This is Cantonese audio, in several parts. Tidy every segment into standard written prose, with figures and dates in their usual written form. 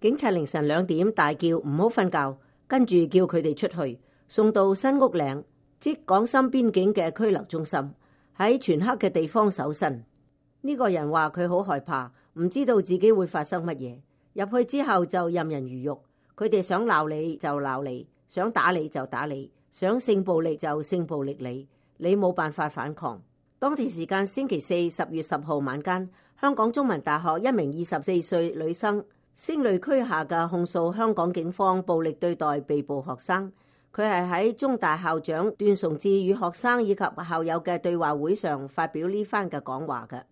警察凌晨2點大叫唔好瞓覺，跟住叫佢哋出去，送到新屋嶺，即港深邊境嘅拘留中心，喺全黑嘅地方搜身。呢個人話佢好害怕，唔知道自己會發生乜嘢。入去之後就任人魚肉，佢哋想鬧你就鬧你，想打你就打你，想性暴力就性暴力你冇辦法反抗。當地時間星期四10月10號晚間，香港中文大學一名24歲女生聲淚俱下嘅控訴香港警方暴力對待被捕學生。佢係喺中大校長段崇智與學生以及校友嘅對話會上發表呢番嘅講話嘅。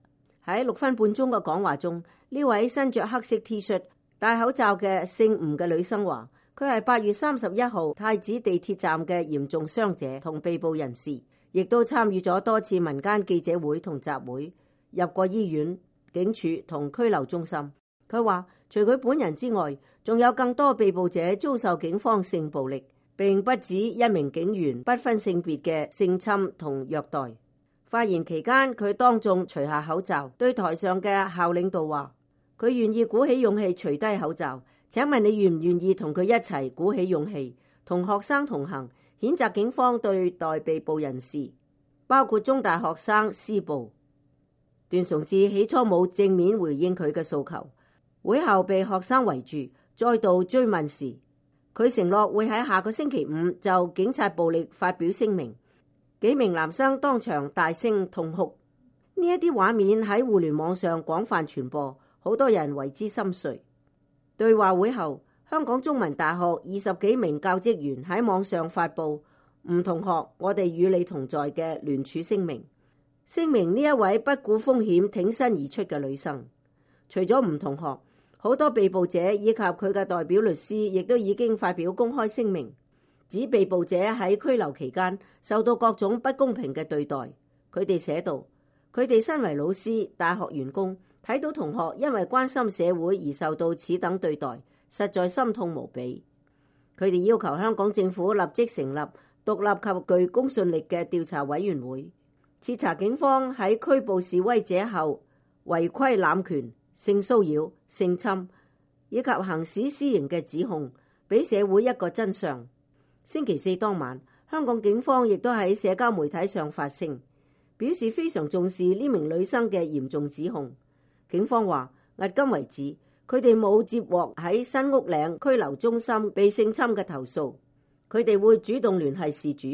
喺6分半鐘嘅講話中，呢位身着黑色 T 恤、戴口罩嘅姓吳嘅女生話，佢係8月31號太子地鐵站嘅嚴重傷者同被捕人士，亦都參與咗多次民間記者會同集會，入過醫院、警署同拘留中心。佢話除佢本人之外，仲有更多被捕者遭受警方性暴力，並不止一名警員不分性別嘅性侵同虐待。發言期間，佢當眾除下口罩，對台上嘅校領導話，佢願意鼓起勇氣除低口罩。請問你願唔願意同佢一齊鼓起勇氣，同學生同行，譴責警方對待被捕人士，包括中大學生施暴。段崇智起初冇正面回應佢嘅訴求，會後被學生圍住，再度追問時，佢承諾會喺下個星期5就警察暴力發表聲明。幾名男生當場大聲痛哭，呢一啲畫面喺互聯網上廣泛傳播，好多人為之心碎。對話會後，香港中文大學20幾名教職員喺網上發布吳同學，我哋與你同在嘅聯署聲明，聲明呢一位不顧風險挺身而出嘅女生。除咗吳同學，好多被捕者以及佢嘅代表律師亦都已經發表公開聲明，指被捕者喺拘留期間受到各種不公平嘅對待。佢哋寫道，佢哋身為老師、大學員工，睇到同學因為關心社會而受到此等對待，實在心痛無比。佢哋要求香港政府立即成立獨立及具公信力嘅調查委員會，徹查警方喺拘捕示威者後違規濫權、性騷擾、性侵以及行使私刑嘅指控，俾社會一個真相。星期四當晚，香港警方亦都喺社交媒體上發聲，表示非常重視呢名女生嘅嚴重指控。警方話，迄今為止，佢哋冇接獲喺新屋嶺拘留中心被性侵嘅投訴。佢哋會主動聯繫事主，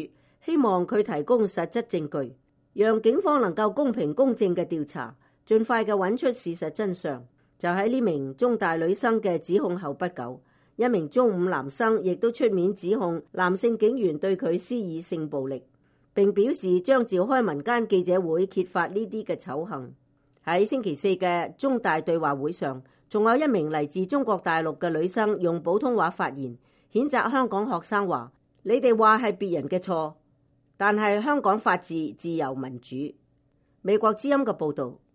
希望佢提供實質證據，讓警方能夠公平公正嘅調查，盡快嘅揾出事實真相。就喺呢名中大女生嘅指控後不久，一名中五男生亦都出面指控男性警員對佢施以性暴力，並表示將召開民間記者會揭發呢啲嘅醜行。喺星期四嘅中大對話會上，仲有一名嚟自中國大陸嘅女生用普通話發言，譴責香港學生話：你哋話係別人嘅錯，但係香港法治、自由、民主。美國之音嘅報導。